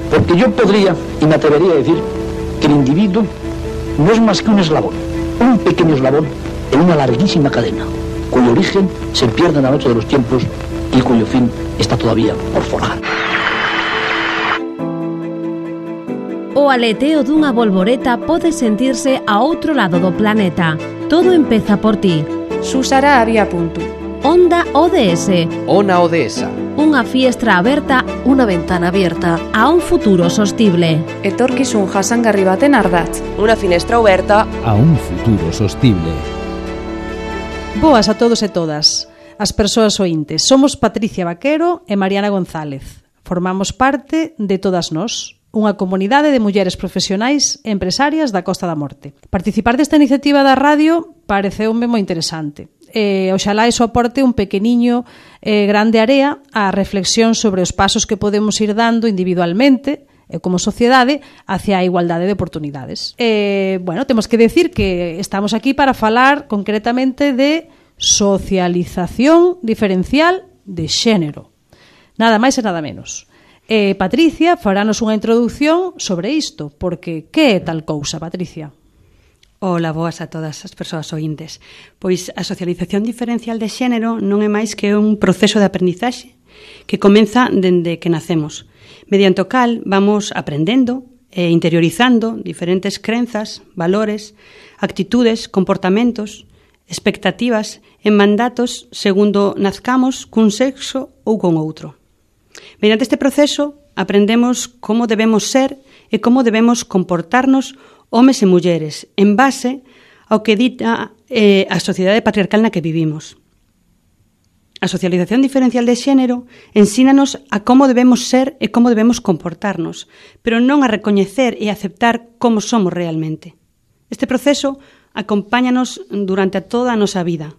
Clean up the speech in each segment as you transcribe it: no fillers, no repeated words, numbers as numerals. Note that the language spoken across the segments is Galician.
Porque yo podría y me atrevería a decir que el individuo no es más que un eslabón, un pequeño eslabón en una larguísima cadena, cuyo origen se pierde en la noche de los tiempos y cuyo fin está todavía por forjar. O aleteo dunha bolboreta pode sentirse a outro lado do planeta. Todo empeza por ti. Susara había punto. Onda ODS. Ona ODS. Unha fiestra aberta, unha ventana abierta a un futuro sostible. Etorkizun jasangarri baten ardatz. Unha finestra aberta a un futuro sostible. Boas a todos e todas. As persoas ointes. Somos Patricia Vaquero e Mariana González. Formamos parte de Todas Nós, unha comunidade de mulleres profesionais e empresarias da Costa da Morte. Participar desta iniciativa da radio pareceume moi interesante. Oxalá iso aporte un pequeniño grande area á reflexión sobre os pasos que podemos ir dando individualmente e como sociedade hacia a igualdade de oportunidades. Temos que decir que estamos aquí para falar concretamente de socialización diferencial de xénero. Nada máis e nada menos. Patricia faranos unha introducción sobre isto, porque que é tal cousa, Patricia? Ola, boas a todas as persoas ointes. Pois a socialización diferencial de xénero non é máis que un proceso de aprendizaxe que comeza dende que nacemos, mediante o cal vamos aprendendo e interiorizando diferentes crenzas, valores, actitudes, comportamentos, expectativas e mandatos segundo nazcamos cun sexo ou con outro. Mediante este proceso aprendemos como debemos ser e como debemos comportarnos homes e mulleres en base ao que dita a sociedade patriarcal na que vivimos. A socialización diferencial de xénero ensínanos a como debemos ser e como debemos comportarnos, pero non a recoñecer e aceptar como somos realmente. Este proceso acompáñanos durante toda a nosa vida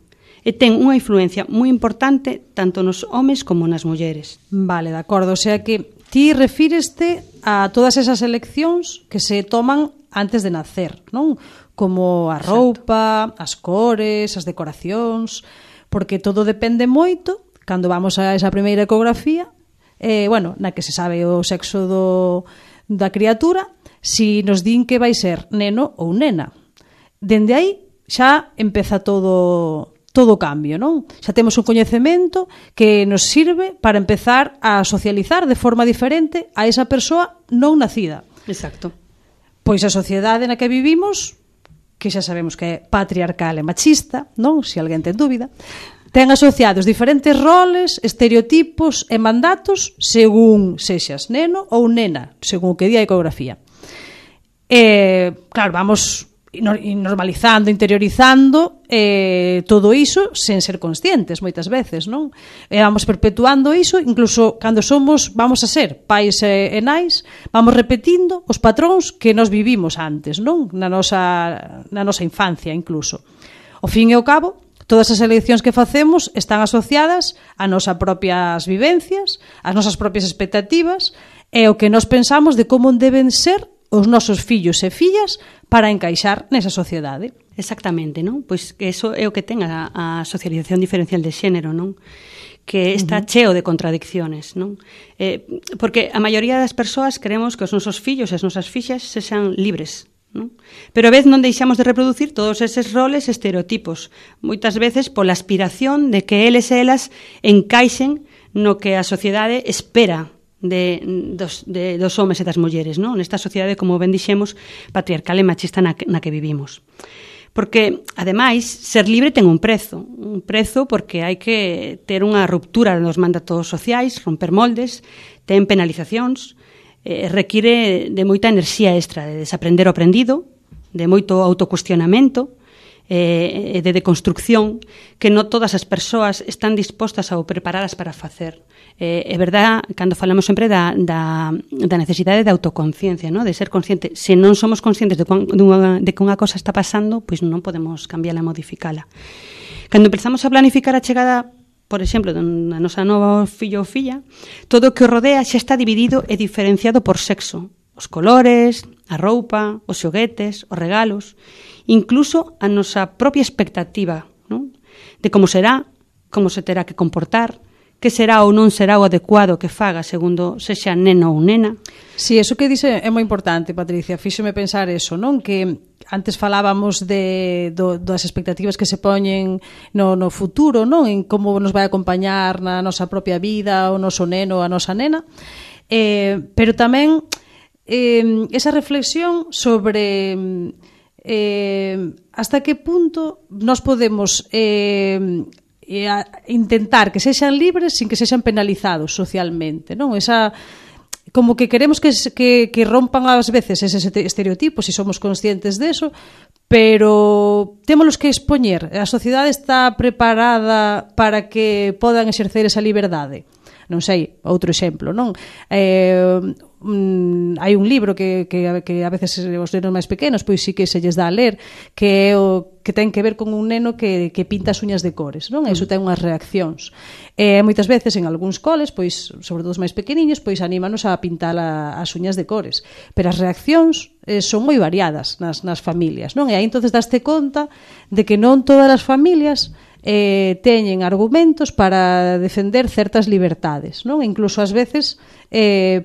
e ten unha influencia moi importante tanto nos homes como nas mulleres. Vale, de acordo, o sea que ti refíreste a todas esas eleccións que se toman antes de nacer, non? Como a roupa, as cores, as decoracións, porque todo depende moito cando vamos a esa primeira ecografía, na que se sabe o sexo da criatura, si nos din que vai ser neno ou nena. Dende aí xa empeza todo o cambio, non? Xa temos un coñecemento que nos sirve para empezar a socializar de forma diferente a esa persoa non nacida. Exacto. Pois a sociedade na que vivimos, que xa sabemos que é patriarcal e machista, non? Se alguén ten dúbida, ten asociados diferentes roles, estereotipos e mandatos según sexas neno ou nena, según o que di a ecografía. Claro, vamos normalizando, interiorizando todo iso sen ser conscientes moitas veces, non? Vamos perpetuando iso, incluso cando vamos a ser pais e nais, vamos repetindo os patróns que nos vivimos antes, non? Na nosa infancia incluso. Ao fin e ao cabo, todas as eleccións que facemos están asociadas a nosas propias vivencias, ás nosas propias expectativas e o que nos pensamos de como deben ser os nosos fillos e fillas para encaixar nesa sociedade. Exactamente, non? Pois que eso é o que ten a socialización diferencial de xénero, non? Que está cheo de contradicciones, non? Porque a maioría das persoas queremos que os nosos fillos e as nosas fixas sexan libres, non? Pero a vez non deixamos de reproducir todos eses roles e estereotipos, moitas veces pola aspiración de que eles e elas encaixen no que a sociedade espera dos homes e das mulleres, non? Nesta sociedade, como ben dixemos, patriarcal e machista na que vivimos. Porque, ademais, ser libre ten un prezo porque hai que ter unha ruptura dos mandatos sociais, romper moldes, ten penalizacións, require de moita enerxía extra, de desaprender o aprendido, de moito autocuestionamento, de deconstrucción que non todas as persoas están dispostas ou preparadas para facer. É verdad, cando falamos sempre da necesidade de autoconciencia, ¿no? De ser consciente. Se non somos conscientes de que unha cosa está pasando, pois non podemos cambiala e modificala. Cando empezamos a planificar a chegada, por exemplo, da nosa nova fillo ou filla, todo o que o rodea xa está dividido e diferenciado por sexo. Os colores, a roupa, os xoguetes, os regalos, incluso a nosa propia expectativa, non? De como será, como se terá que comportar, que será ou non será o adecuado que faga segundo sexa neno ou nena. Si, eso que dice é moi importante, Patricia. Fíxome pensar eso, non? Que antes falábamos das expectativas que se poñen no futuro, non? En como nos vai acompañar na nosa propia vida o noso neno ou a nosa nena. Pero tamén esa reflexión sobre hasta que punto nos podemos intentar que sexan libres sin que sexan penalizados socialmente, non? Esa como que queremos que rompan ás veces eses estereotipos e somos conscientes deso, pero témolos que expoñer. A sociedade está preparada para que podan exercer esa liberdade. Non sei, outro exemplo, non? Hai un libro que a veces os nenos máis pequenos pois sí que se lles dá a ler, que é o que ten que ver con un neno que pinta as uñas de cores, non? Iso ten unhas reaccións. Moitas veces en algúns coles, pois sobre todo os máis pequeniños, pois anímanos a pintar as uñas de cores, pero as reaccións son moi variadas nas familias, non? E aí entonces daste conta de que non todas as familias teñen argumentos para defender certas libertades, non? Incluso ás veces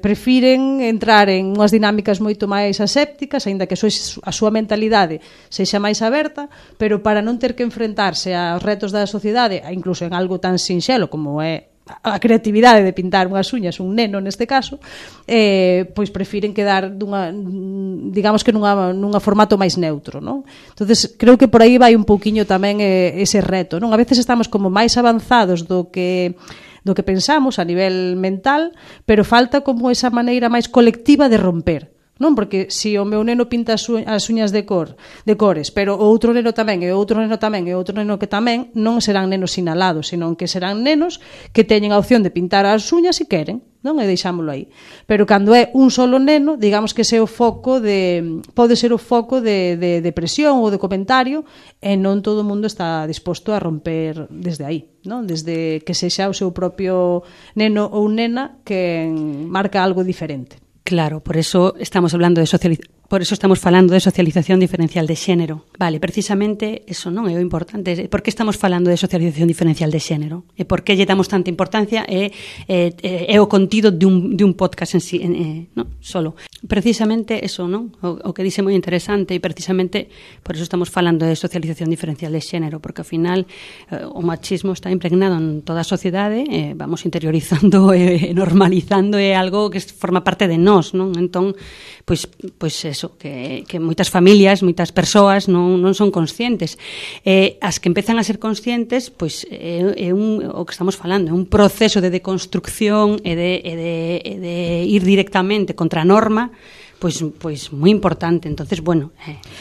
prefiren entrar en unhas dinámicas moito máis asépticas, aínda que a súa mentalidade sexa máis aberta, pero para non ter que enfrentarse aos retos da sociedade, incluso en algo tan sinxelo como é a creatividade de pintar unhas uñas, un neno neste caso, pois prefiren quedar digamos que nunha formato máis neutro, non? Entonces creo que por aí vai un pouquiño tamén ese reto, non? A veces estamos como máis avanzados do que pensamos a nivel mental, pero falta como esa maneira máis colectiva de romper, non? Porque se o meu neno pinta as uñas de cores, pero o outro neno tamén, e o outro neno tamén, e o outro neno que tamén, non serán nenos sinalados, senón que serán nenos que teñen a opción de pintar as uñas se queren, non? E deixámoslo aí. Pero cando é un solo neno, digamos que ese é o foco pode ser o foco de presión ou de comentario, e non todo o mundo está disposto a romper desde aí, non? Desde que sexa o seu propio neno ou nena que marca algo diferente. Claro, por eso estamos falando de socialización diferencial de xénero. Vale, precisamente eso non é o importante. Por que estamos falando de socialización diferencial de xénero? E por que lle damos tanta importancia? É o contido de un podcast en sí, non? Solo. Precisamente eso, non? O que dice moi interesante, e precisamente por eso estamos falando de socialización diferencial de xénero, porque ao final o machismo está impregnado en toda a sociedade, vamos interiorizando e normalizando, é algo que forma parte de nós, non? Entón, pois eso, que moitas familias, moitas persoas non son conscientes. As que empezan a ser conscientes, pois o que estamos falando, é un proceso de deconstrucción e de ir directamente contra a norma, pois moi importante. Entonces, bueno,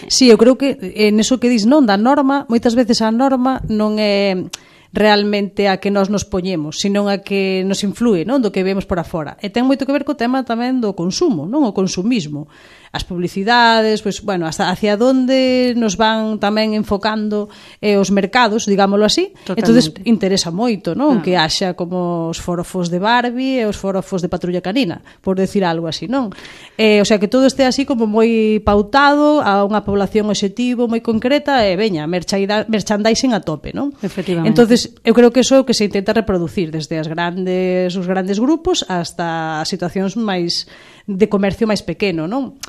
Sí, eu creo que neso que dis, non, da norma, moitas veces a norma non é realmente a que nós nos poñemos, senón a que nos influe, non, do que vemos por afora. E ten moito que ver co tema tamén do consumo, non, o consumismo. As publicidades, pois, bueno, hasta hacia onde nos van tamén enfocando os mercados, digámoslo así. Entonces interesa moito, non, que haxa como os forofos de Barbie e os forofos de Patrulla Canina, por decir algo así, non? O sea, que todo este así como moi pautado a unha población obxectivo moi concreta e veña, merchandising a tope, non? Efectivamente. Entonces, eu creo que iso é o que se intenta reproducir desde os grandes grupos hasta as situacións máis de comercio máis pequeno, non?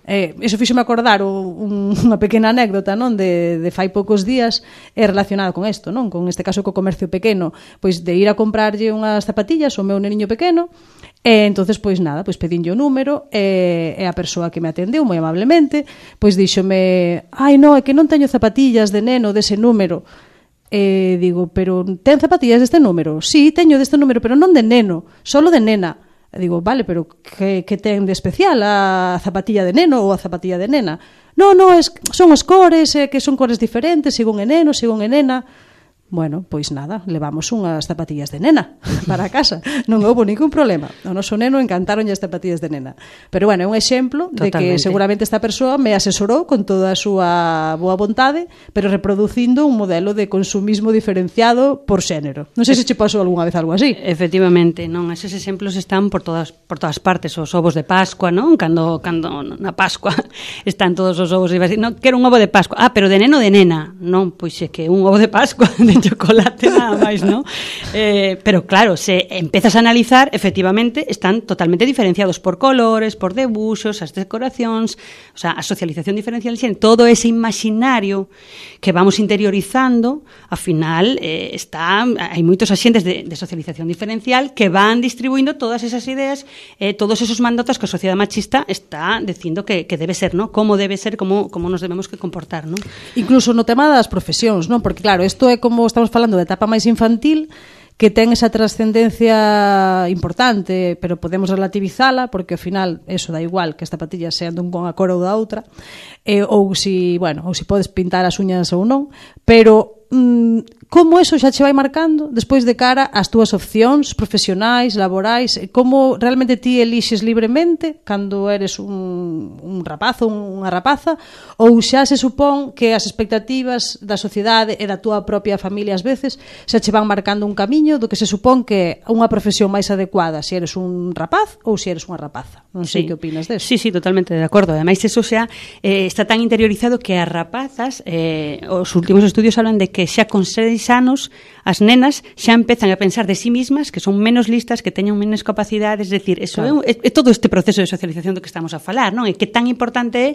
Iso fíxome acordar unha pequena anécdota, non, de fai poucos días relacionada con isto, non, con este caso co comercio pequeno, pois de ir a comprarlle unhas zapatillas ao meu neniño pequeno, e entonces pois nada, pois pedinlle o número e a persoa que me atendeu moi amablemente, pois díxome: "Ai, non, é que non teño zapatillas de neno dese número." Digo: "Pero ten zapatillas deste número?" "Sí, teño deste número, pero non de neno, solo de nena." Digo: "Vale, pero que ten de especial a zapatilla de neno ou a zapatilla de nena?" "No, son as cores, que son cores diferentes, según é neno, según é nena." Bueno, pois nada, levamos unhas zapatillas de nena para casa. Non houve ningún problema. O noso neno encantaronlle as zapatillas de nena. Pero bueno, é un exemplo de que seguramente esta persoa me asesorou con toda a súa boa vontade, pero reproducindo un modelo de consumismo diferenciado por xénero. Non sei se che pasou algunha vez algo así. Efectivamente, non, eses exemplos están por todas partes. Os ovos de Pascua, non? Cando na Pascua están todos os ovos e vas, non, quero un ovo de Pascua. Ah, pero de neno ou de nena? Non, pois é que un ovo de Pascua de chocolate nada máis, ¿no? Pero claro, se empezas a analizar, efectivamente, están totalmente diferenciados por colores, por debuxos, as decoracións, o sea, a socialización diferencial de xénero, todo ese imaginario que vamos interiorizando, ao final hai moitos axentes de socialización diferencial que van distribuindo todas esas ideas, todos esos mandatos que a sociedade machista está dicindo que debe ser, ¿no? Como debe ser, como nos debemos que comportar, ¿no? Incluso no tema das profesións, non? Porque claro, isto é como estamos falando de etapa máis infantil, que ten esa trascendencia importante, pero podemos relativizala porque ao final eso dá igual que as zapatillas sean dun con a cor ou da outra, ou si podes pintar as uñas ou non, pero como eso xa che vai marcando despois de cara ás túas opcións profesionais, laborais, como realmente ti elixes libremente cando eres un rapaz ou unha rapaza, ou xa se supón que as expectativas da sociedade e da túa propia familia ás veces xa che van marcando un camiño do que se supón que unha profesión máis adecuada se eres un rapaz ou se eres unha rapaza. Non sei que opinas deso. Sí, totalmente de acordo. Ademais, eso xa está tan interiorizado que as rapazas, os últimos estudios hablan de que xa con 6 anos as nenas xa empezan a pensar de sí mismas que son menos listas, que teñen menos capacidades, es decir, eso claro. é todo este proceso de socialización do que estamos a falar, non? E que tan importante é,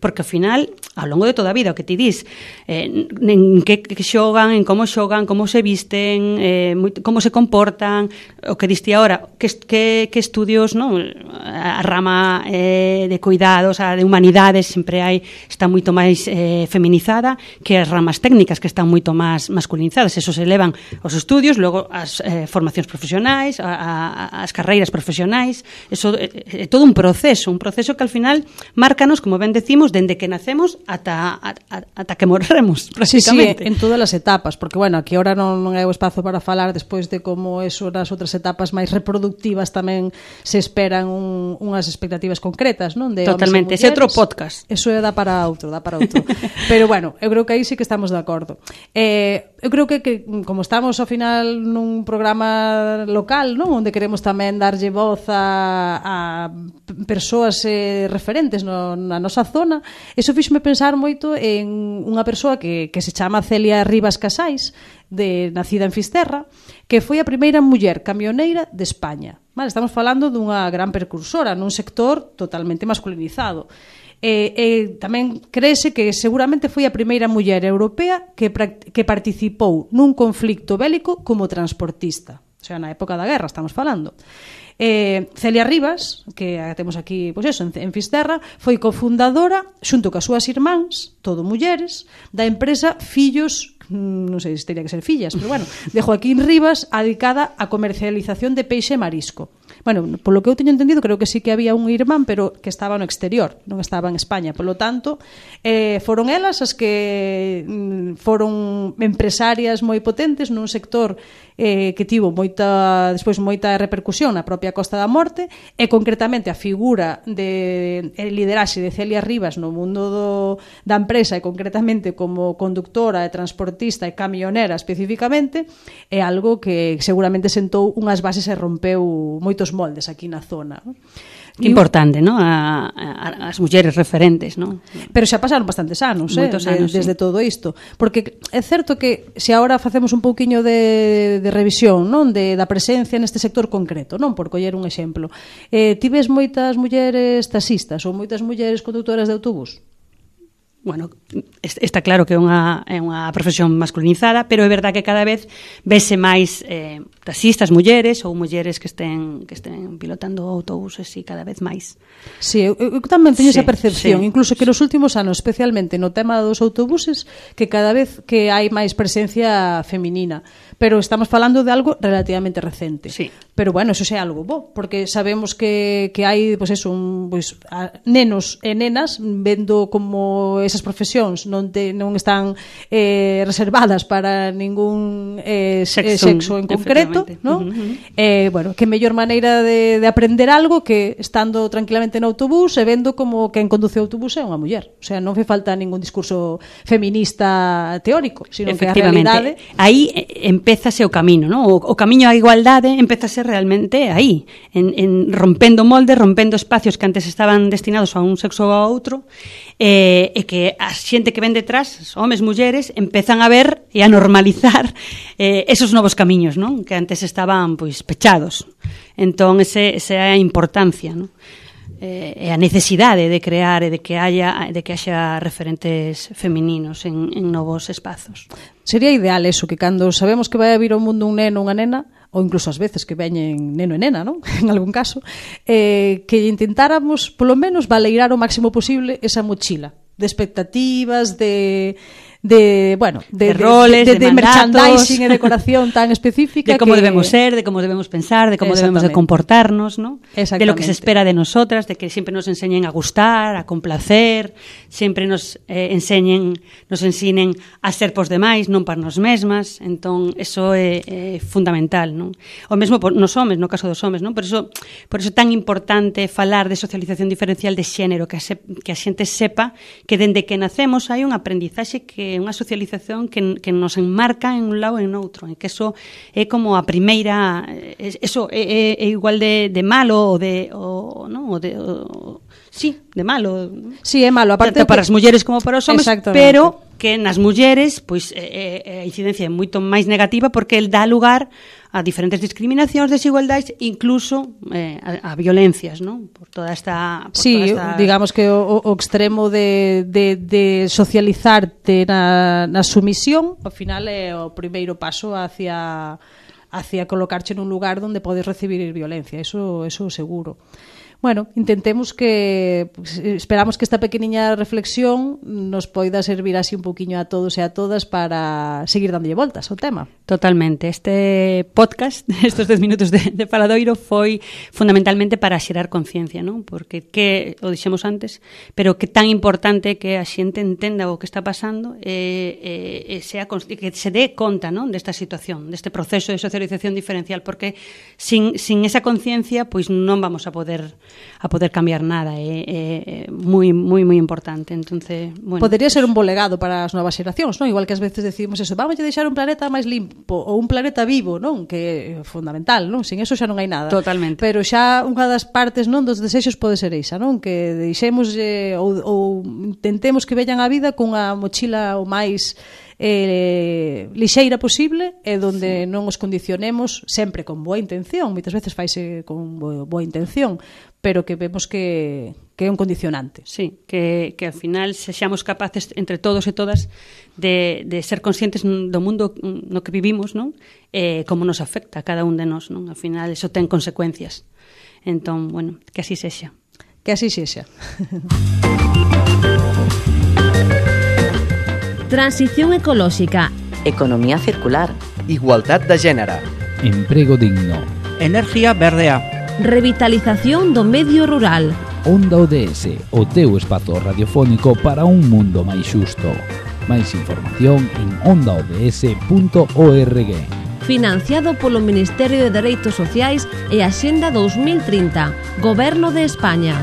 porque ao final, ao longo de toda a vida, o que ti dis, en que xogan, en como xogan, como se visten, como se comportan, o que diste agora, que estudios, non? A rama de cuidados, a de humanidades, sempre está moito máis feminizada que as ramas técnicas, que están moito máis masculinizadas. Eso se elevan os estudios, logo as formacións profesionais, as carreiras profesionais. Eso é todo un proceso que al final márcanos, como ben decimos, dende que nacemos ata que morremos, prácticamente. Sí, en todas as etapas, porque, bueno, aquí ahora non é o espazo para falar despois de como eso nas outras etapas máis reproductivas tamén se esperan unhas expectativas concretas, non? De totalmente, ese outro podcast. Eso dá para outro. Pero, bueno, eu creo que aí sí que estamos de acordo. Eu creo que como estamos ao final nun programa local, non, onde queremos tamén darlle voz a persoas referentes na nosa zona, eso fíxome pensar moito en unha persoa que se chama Celia Rivas Casais, nacida en Fisterra, que foi a primeira muller camioneira de España. Vale, estamos falando dunha gran precursora nun sector totalmente masculinizado. Tamén créese que seguramente foi a primeira muller europea que participou nun conflicto bélico como transportista, o sea, na época da guerra estamos falando. Celia Rivas, que temos aquí pois eso, en Fisterra, foi cofundadora xunto coas súas irmáns, todo mulleres, da empresa Fillos, non sei se teria que ser fillas, pero bueno, de Joaquín Rivas, dedicada á comercialización de peixe e marisco. Bueno, polo que eu teño entendido, creo que sí que había un irmán, pero que estaba no exterior, non estaba en España. Polo tanto, foron elas as que foron empresarias moi potentes nun sector que tivo despois moita repercusión na propia Costa da Morte, e concretamente a figura de lideraxe de Celia Rivas no mundo da empresa, e concretamente como conductora e transportista e camionera especificamente, é algo que seguramente sentou unhas bases e rompeu moitos moldes aquí na zona. Que importante, ¿no? As mulleres referentes, ¿no? Pero xa pasaron bastantes anos, desde todo isto. Porque é certo que se agora facemos un pouquiño de revisión, non? Da presencia neste sector concreto, non? Por coller un exemplo. Ti ves moitas mulleres taxistas ou moitas mulleres conductoras de autobús? Bueno, está claro que é unha profesión masculinizada, pero é verdad que cada vez vese máis taxistas mulleres ou mulleres que estén pilotando autobuses e cada vez máis. Sí, eu tamén teño esa percepción, incluso que nos últimos anos, especialmente no tema dos autobuses, que cada vez que hai máis presencia feminina, pero estamos falando de algo relativamente recente. Sí. Pero bueno, eso é algo bo, porque sabemos que hai nenos e nenas vendo como esas profesións non están reservadas para ningún sexo en concreto, feito, non? Bueno, que mellor maneira de aprender algo que estando tranquilamente no autobús e vendo como quen conduce o autobús é unha muller. O sea, non fe falta ningún discurso feminista teórico, sino que a realidade... Aí empézase o camiño, non? O camiño á igualdade empézase realmente aí, en rompendo moldes, rompendo espacios que antes estaban destinados a un sexo ou a outro, e que a xente que ven detrás, homes, mulleres, empezan a ver e a normalizar esos novos camiños, non? Que antes estaban pois pechados. Entón, esa é a importancia, non? E a necesidade de crear e de que haxa referentes femininos en novos espazos. Sería ideal eso, que cando sabemos que vai a vir ao mundo un neno ou unha nena, ou incluso ás veces que veñen neno e nena, non? En algún caso, que intentáramos, polo menos, valeirar o máximo posible esa mochila de expectativas, de roles, de merchandising e decoración tan específica, de como debemos ser, de como debemos pensar, de como debemos de comportarnos, ¿no? De lo que se espera de nosotras, de que siempre nos enseñen a gustar, a complacer, siempre nos ensinen a ser pos demais, non para nos mesmas. Entón, eso é fundamental, non? O mesmo nos homes, no caso dos homes, non? Por eso é tan importante falar de socialización diferencial de xénero, que a xente sepa que dende que nacemos hai un aprendizaxe, que unha socialización que nos enmarca en un lado e en outro, e que eso é como a primeira, eso é igual de malo de malo. Sí, é malo, aparte para as mulleres como para os homes, pero que nas mulleres pois a incidencia é moito máis negativa, porque el dá lugar a diferentes discriminacións, desigualdades, incluso a violencias, non? Por toda esta... digamos que o extremo de socializarte na sumisión, ao final é o primeiro paso hacia colocarche nun lugar onde podes recibir violencia, eso seguro. Bueno, esperamos que esta pequeniña reflexión nos poida servir así un poquinho a todos e a todas para seguir dándolle voltas ao tema. Totalmente. Este podcast, estes 10 minutos de Faladoiro, foi fundamentalmente para xerar conciencia, non? Porque, que o dixemos antes, pero que tan importante que a xente entenda o que está pasando e que se dé conta, non? Desta situación, deste proceso de socialización diferencial, porque sin esa conciencia, pois non vamos a poder cambiar nada. É moi importante. Entonces, bueno, podería ser un bo legado para as novas xeracións, non? Igual que ás veces decimos eso, vamos a deixar un planeta máis limpo ou un planeta vivo, non? Que é fundamental, non? Sin eso xa non hai nada. Totalmente. Pero xa unha das partes, non, dos desexos pode ser esa, non? Que deixemos ou intentemos que veñan a vida cunha mochila o máis lixeira posible, e donde non os condicionemos, sempre con boa intención, moitas veces faise con boa intención, pero que vemos que é un condicionante. Sí, que ao final sexamos capaces entre todos e todas de ser conscientes do mundo no que vivimos, non? Como nos afecta a cada un de nós, non? Ao final eso ten consecuencias. Entón, bueno, que así sexa. Que así sexa. Transición ecolóxica, economía circular, igualdad de género, emprego digno, energía verdea, revitalización do medio rural. Onda ODS, o teu espazo radiofónico para un mundo máis xusto. Máis información en ondaods.org. Financiado polo Ministerio de Dereitos Sociais e Axenda 2030, Goberno de España.